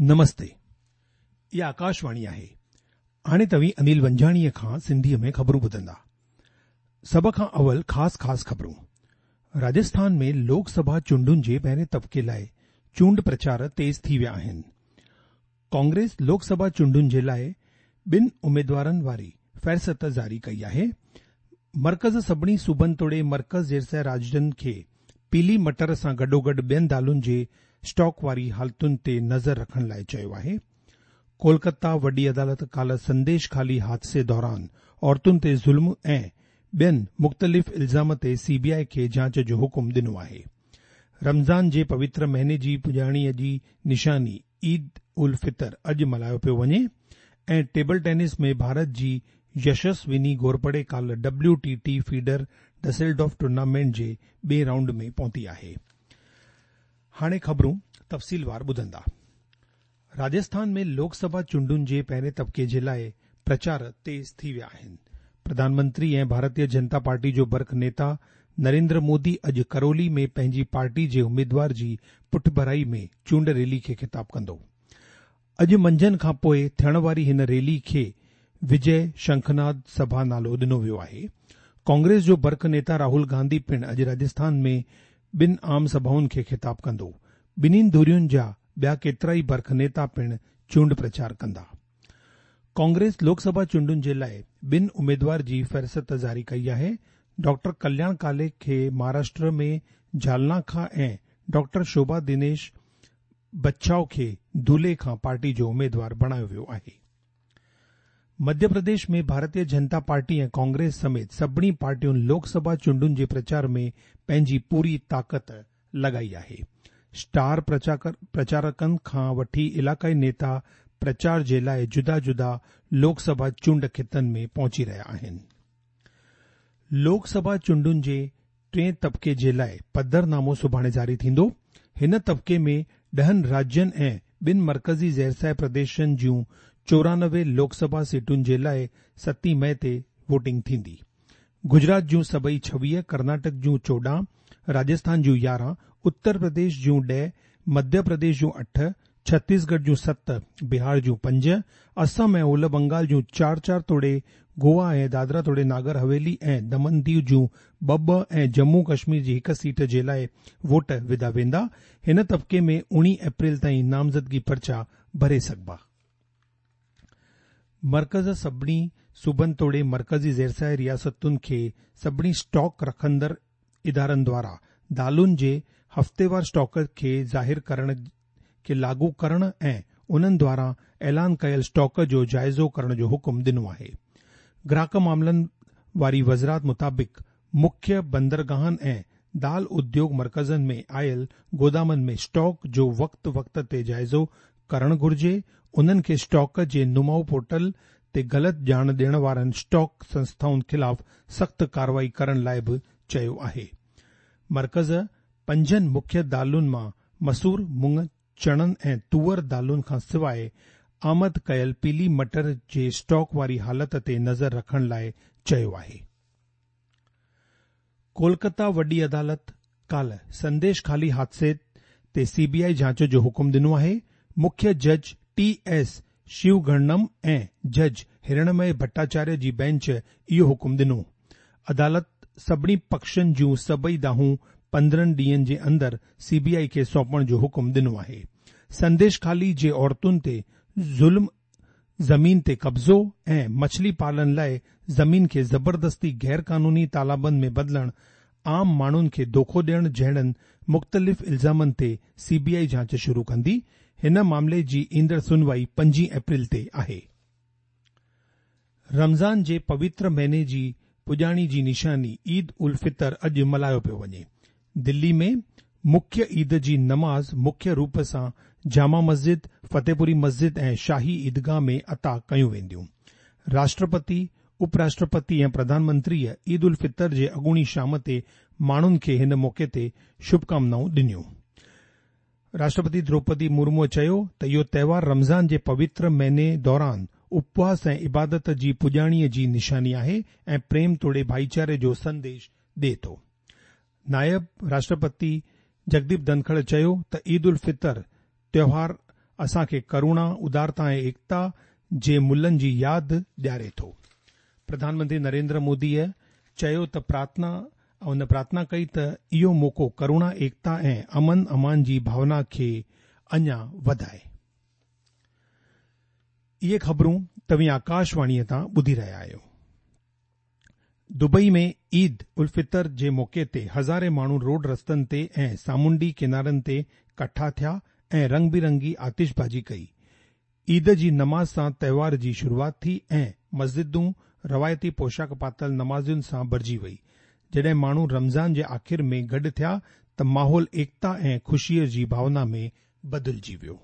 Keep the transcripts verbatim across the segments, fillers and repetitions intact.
نمستي، اها آڪاشواڻي آهي. هاڻي توهين انيل ونجاڻيء کان سنڌيء ۾ خبرون ٻڌندا. سڀ کان اول خاص خاص خبرون. راجسٿان ۾ لوڪ سڀا چونڊن جي پهرين طبقي لاء چونڊ پرچار تيز ٿي ويا آهن. ڪانگريس لوڪ سڀا چونڊن جي لاء ٻن اميدوارن واري فهرست جاري ڪئي آهي. مرڪز سڀني صوبن توڙي مرڪز زيرسيٰ راجين کي پيلي مٽر سان گڏوگڏ ٻين دالن جي اسٽاڪ واري حالتن تي نظر رکڻ لاء چيو آهي. ڪولڪتا وڏي عدالت ڪالهه سنديش خالي حادثي دوران عورتن تي ظلم ۽ ٻين مختلف الزام تي سي بي آء کي جاچ جو حڪم ڏنو آهي. رمضان جي پوتر مهيني جي پڄاڻيء جي نشاني عيد الفطر اڄ ملهايو پيو وڃي ۽ ٽيبل ٽينس ۾ ڀارت جي يشسوني گهورپڙي ڪالهه ڊبليو ٽي ٽي فيڊر ڊسلڊورف ٽورنامينٽ جي ٻئي رائونڊ ۾ پهتي آهي. هاڻي خبرون تفصيلوار ٻڌندا. راجسٿان ۾ لوڪ سڀا چونڊن جي پهرين طبقي جي لاء پرچار تيز ٿي ويا آهن. پرڌان منتري ۽ ڀارتيه جنتا پارٽي جو برک نيتا نريندر مودي اڄ ڪرولي ۾ پنهنجي پارٽي جي اميدوار جي پٺڀرائي ۾ چونڊ ريلي کي خطاب ڪندو. اڄ منجهند کان پوء ٿيڻ واري هن ريلي کي وجي شنکناد سڀا نالو ڏنو ويو آهي. ڪانگريس جو برک نيتا راهول گانڌي پڻ اڄ راجسٿان ۾ ٻن عام سڀائن کي خطاب ڪندو. ٻنهين ڌرين جا ٻيا ڪيترائي برک نيتا پڻ چونڊ پرچار ڪندا. ڪانگريس لوڪ سڀا چونڊن جي لاء ٻن اميدوار جي فهرست جاري ڪئي آهي. ڊاڪٽر ڪلياڻ ڪالي کي مهاراشٽر ۾ جالنا کان ۽ ڊاڪٽر شوڀا دنيش بچاو کي ڌولي کان پارٽي جو اميدوار بڻايو ويو آهي. مڌيه پرديش ۾ ڀارتيه جنتا پارٽي ۽ ڪانگريس سميت سڀني پارٽين لوڪ سڀا چونڊن جي پرچار ۾ پنهنجي پوري طاقت لڳائي آهي. اسٽار پرچارڪن کان وٺي علائقائي نيتا پرچار جي لاء جدا جدا لوڪ سڀا چونڊ خطن ۾ پهچي رهيا آهن. لوڪ سڀا چونڊن جي ٽئين طبقي جي لاء پڌرنامو سڀاڻي جاري ٿيندو. هن طبقي ۾ ڏهن راجين ۽ ٻن مرڪزي زيرسايه پرديشن جون چورانوي لوڪ سڀا سيٽن جي لاء ستين مئي تي ووٽنگ ٿيندي. گجرات جون سڀئي ڇويهه، ڪرناٽڪ جون چوڏهن، راجسٿان جون يارهن، اتر پرديش جون ڏهه، مڌيه پرديش جون اٺ، ڇتيسڳڙهه جون ست، بهار جون پنج، اسم ۽ اولهه بنگال جون چار چار توڙي گوا ۽ دادرا توڙي ناگر حويلي ۽ دمن ديو جون ٻه ٻه ۽ ڄمون ڪشمير جي هڪ سيٽ جي لاء ووٽ وڌا ويندا. هن طبقي ۾ اڻويهه اپريل تائين نامزدگي پرچا ڀري سگهبا. مرڪز سڀني صوبن توڙي مرڪزي زيرسايه رياستن کي سڀني اسٽاڪ رکندڙ ادارن دواران دالن جي هفتيوار اسٽاڪ کي ظاهر ڪرڻ کي لاڳو ڪرڻ ۽ انهن دواران اعلان ڪيل اسٽاڪ جو جائزو ڪرڻ جو حڪم ڏنو آهي. گراهڪ معاملن واري وزارت مطابق مکيه بندرگاهن ۽ دال اديوگ مرڪزن ۾ آيل گودامن ۾ اسٽاڪ جو وقت وقت تي جائزو ڪرڻ گهرجي. انهن کي اسٽاڪ جي نماء پورٽل تي غلط ڄاڻ ڏيڻ وارن اسٽاڪ سنسٿائن خلاف سخت ڪارروائي ڪرڻ لاء به چيو آهي. مرڪز پنجن مکيه دالن مان مسور، مڱ، چڻن ۽ توئر دالن کان سواء آمد ڪيل پيلي مٽر جي اسٽاڪ واري حالت تي نظر رکڻ لاء چيو آهي. ڪولڪتا وڏي عدالت ڪالهه سنديش خالي حادثي تي سي بي آء جاچ جو حڪم ڏنو آهي. مکيه جج ٽي ايس شيوگڻنم ۽ جج هرڻمي ڀٽاچاريه جي بينچ اهو حڪم ڏنو. عدالت سڀني پکشن جون سڀئي دانهون پندرهن ڏينهن جي اندر سي بي آء کي سونپڻ جو حڪم ڏنو آهي. سنديش خالي جي عورتن تي ظلم، زمين تي قبضو ۽ مڇلي پالن لاء زمين کي زبردستي غير قانوني تالابن ۾ بدلڻ، عام ماڻهن کي دوکو ڏيڻ جهڙن مختلف الزامن تي سي بي آء جاچ شروع ڪندي. هن معاملي جي ايندڙ سنوائي پنجين اپريل تي آهي. رمضان جي پوتر مهيني جي پڄاڻي جي نشاني عيد الفطر اڄ ملهايو پيو وڃي. دلي ۾ مکيه عيد جي نماز مکيه روپ سان جامع مسجد، فتح پوري مسجد ۽ شاهي عيدگاهه ۾ عطا ڪيون وينديون. راشٽرپتي، اپراشٽرپتي ۽ پرڌان منتريء عيد الفطر جي اڳوڻي شام تي ماڻهن کي هن موقعي تي شڀڪامنائون ڏنيون. راشٽرپتي دروپدي مرموءَ چيو ته اهو تهوار رمضان جي پوتر مهيني دوران اپواس ۽ عبادت جي پڄاڻيءَ جي نشاني آهي ۽ پريم توڙي ڀائيچاري جو سنديش ڏئي ٿو. نائب راشٽرپتي جگديپ ڌنکڙ چيو ته عيد الفطر تيوهار اسان کي ڪروڻا، ادارتا ۽ ايڪتا جي ملهن جي ياد ڏياري ٿو. پرڌان منتري نريندر موديء چيو ته پرارٿنا هن پرارٿنا ڪئي ته اهو موقعو ڪروڻا، ايڪتا ۽ امن امان جي ڀاونا کي اڃا وڌائي. اهي خبرون توهين آڪاشواڻيء تان ٻڌي رهيا آهيو. دبئي ۾ عيد الفطر جي موقعي تي هزارين ماڻهو روڊ رستن تي ۽ سامونڊي ڪنارن تي ڪٺا ٿيا ۽ رنگ برنگي آتشبازي ڪئي. عيد جي نماز سان تهوار جي شروعات ٿي ۽ مسجدون روايتي پوشاڪ پاتل نمازين سان ڀرجي وئي. جڏهن ماڻهو رمضان جي آخر ۾ گڏ ٿيا ته ماحول ايڪتا ۽ خوشيء جي ڀاونا ۾ بدلجي ويو.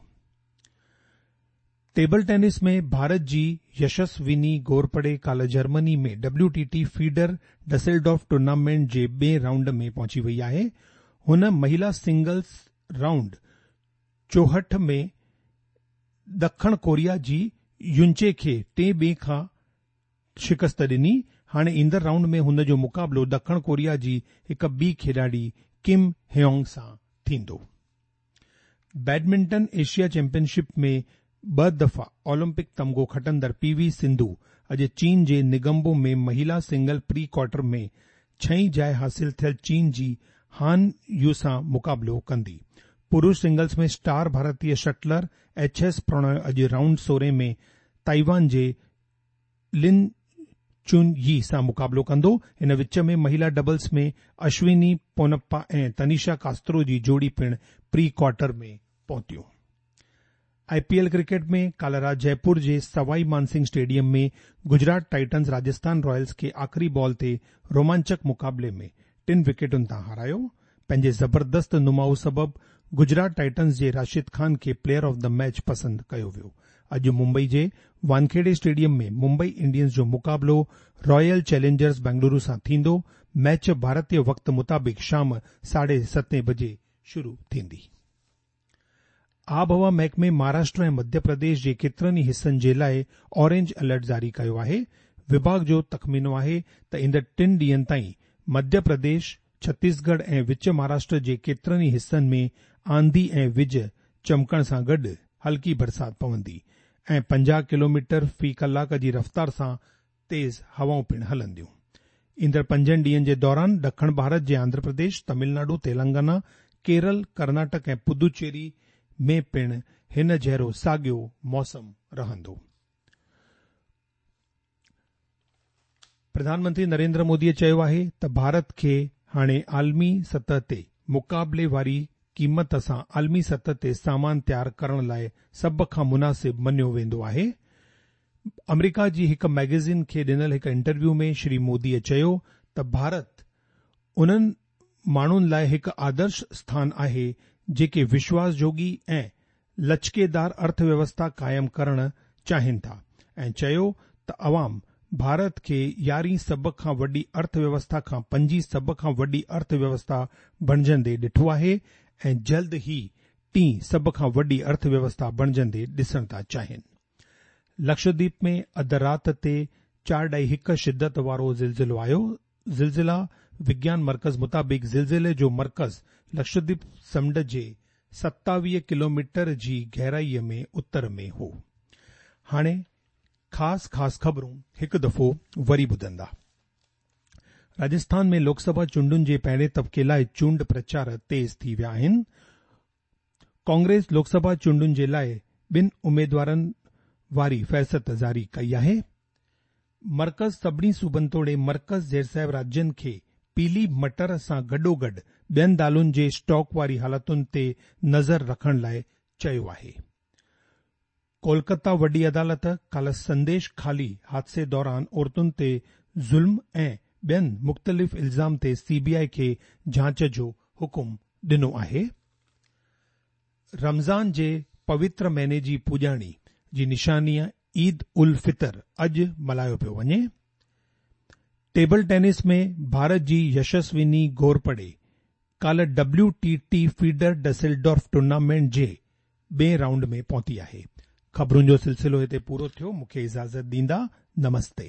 ٽيبل ٽينس ۾ ڀارت جي يشسويني گورپڙي ڪالهه Germany ۾ W T T feeder Dusseldorf tournament جي ٻئين رائونڊ ۾ پهچي وئي آهي. هن مهلا سنگلز رائونڊ چوهٺ ۾ ڏکڻ ڪوريا جي يونچي کي ٽي ٻه کان شڪست ڏني. هاڻي ايندڙ رائونڊ ۾ هن جو مقابلو ڏکڻ ڪوريا جي هڪ ٻي کيڏاڙي ڪم هيونگ سان ٿيندو. بيڊمنٽن ايشيا چيمپيئن شپ ۾ ٻه دفعا اولمپڪ تمغو کٽندڙ پي وي سنڌو اڄ چين جي نگمبو ۾ مهلا سنگل پري ڪوارٽر ۾ ڇهين جاءِ حاصل ٿيل چين جي هان يو سان مقابلو ڪندي. پرش سنگلز ۾ اسٽار ڀارتيه شٽلر ايڇ ايس پرڻوي اڄ رائونڊ سورهن ۾ تائيوان جي لن چون يي سان مقابلو ڪندو. هن وچ ۾ مهلا ڊبلز ۾ اشوني پونپا ۽ تنيشا ڪاسترو جي جوڙي پڻ پري ڪوارٽر ۾ پهتيون. I P L cricket ۾ ڪالهه رات جئپور جي Sawai Mansingh stadium ۾ Gujarat titans Rajasthan royals کي آخري بال تي رومانچڪ مقابلي ۾ ٽن وڪيٽن تان هارايو. پنهنجي زبردست نماءُ سبب گجرات ٽائٽنز جي راشد خان کي پليئر آف the match پسند ڪيو ويو. اڄ ممبئي جي وانکيڙي اسٽيڊيم ۾ ممبئي انڊينز جو مقابلو رائل چئلينجرز بنگلورو سان ٿيندو. ميچ ڀارتيه وقت مطابق شام ساڍي ستين بجي شروع ٿيندي. آبهوا محڪمي مهاراشٽر ۽ مڌيه پرديش جي ڪيترن ئي حصن جي لاءِ اورينج الرٽ جاري ڪيو آهي. وڀاڳ جو تخمينو آهي ته ايندڙ ٽن ڏينهن تائين مڌيه پرديش، ڇتيسڳڙهه ۽ وچ مهاراشٽر جي ڪيترن ئي حصن ۾ آنڌي ۽ وڄ چمڪڻ سان گڏ هلڪي برسات پوندي ۽ پنجاهه ڪلوميٽر في ڪلاڪ جي رفتار سان تيز هوائون پڻ هلنديون. ايندڙ پنجن ڏينهن جي دوران ڏکڻ ڀارت جي آنڌرا پرديش، تامل ناڊو، تيلنگانا، ڪيرل، ڪرناٽڪ ۽ پدوچيري ۾ پڻ هن جهڙو ساڳيو موسم رهندو. پرڌان منتري نريندر موديءَ چيو آهي ته ڀارت کي هاڻي عالمي سطح تي مقابلي واري قيمت سان عالمي سطح تي سامان تيار ڪرڻ لاءِ سڀ کان مناسب مڃيو ويندو آهي. آمريڪا جي هڪ ميگزين کي ڏنل هڪ انٽرويو ۾ شري موديءَ چيو ته ڀارت انهن ماڻهن لاءِ هڪ آدرش اسٿان آهي جيڪي وشواس جوڳي ۽ لچڪيدار ارٿويوسٿا قائم ڪرڻ چاهين ٿا ۽ چيو ته عوام ڀارت کي يارهين سڀ کان وڏي ارٿويوسٿا کان پنجين سڀ کان وڏي ارٿويوسٿا بڻجندي ڏٺو آهي ۽ جلد ئي ٽين سڀ کان وڏي ارٿويوسٿا بڻجندي ڏسڻ ٿا چاهين. لڪشديپ ۾ اڌ رات تي چار ڏهائي هڪ شدت وارو زلزلو آيو. زلزلا وگيان مرڪز مطابق زلزلي جو مرڪز لڪشديپ سمنڊ جي ستاويهه ڪلوميٽر جي گهرائيءَ ۾ اتر ۾ هو. هاڻي خاص خاص خبرون هڪ دفعو وري ٻڌندا. راجسٿان ۾ لوڪسڀا چونڊن جي پهرين طبقي لاءِ چونڊ پرچار تيز ٿي ويا آهن. ڪانگريس لوڪسڀا چونڊن جي لاءِ ٻن اميدوارن واري فهرست جاري ڪئي آهي. مرڪز سڀني صوبن توڙي مرڪز زير راجين کي پيلي مٽر سان گڏوگڏ ٻين دالن جي اسٽاڪ واري حالتن تي نظر رکڻ لاءِ چيو آهي. ڪولڪتا وڏي عدالت ڪالهه سنديش خالي حادثي دوران عورتن تي ظلم ۽ ٻين مختلف الزام تي سي بي I کي جاچ جو حڪم ڏنو آهي. رمضان جي پوتر مهيني جي پڄاڻي جي نشاني عيد ال فطر اڄ ملهايو پيو وڃي. ٽيبل ٽينس ۾ ڀارت جي يشسويني گورپڙي ڪالهه W T T feeder Dusseldorf tournament جي ٻئين رائونڊ ۾ پهتي آهي. خبرن جو سلسلو هتي پورو ٿيو. مون کي اجازت ڏيندا. نمستي.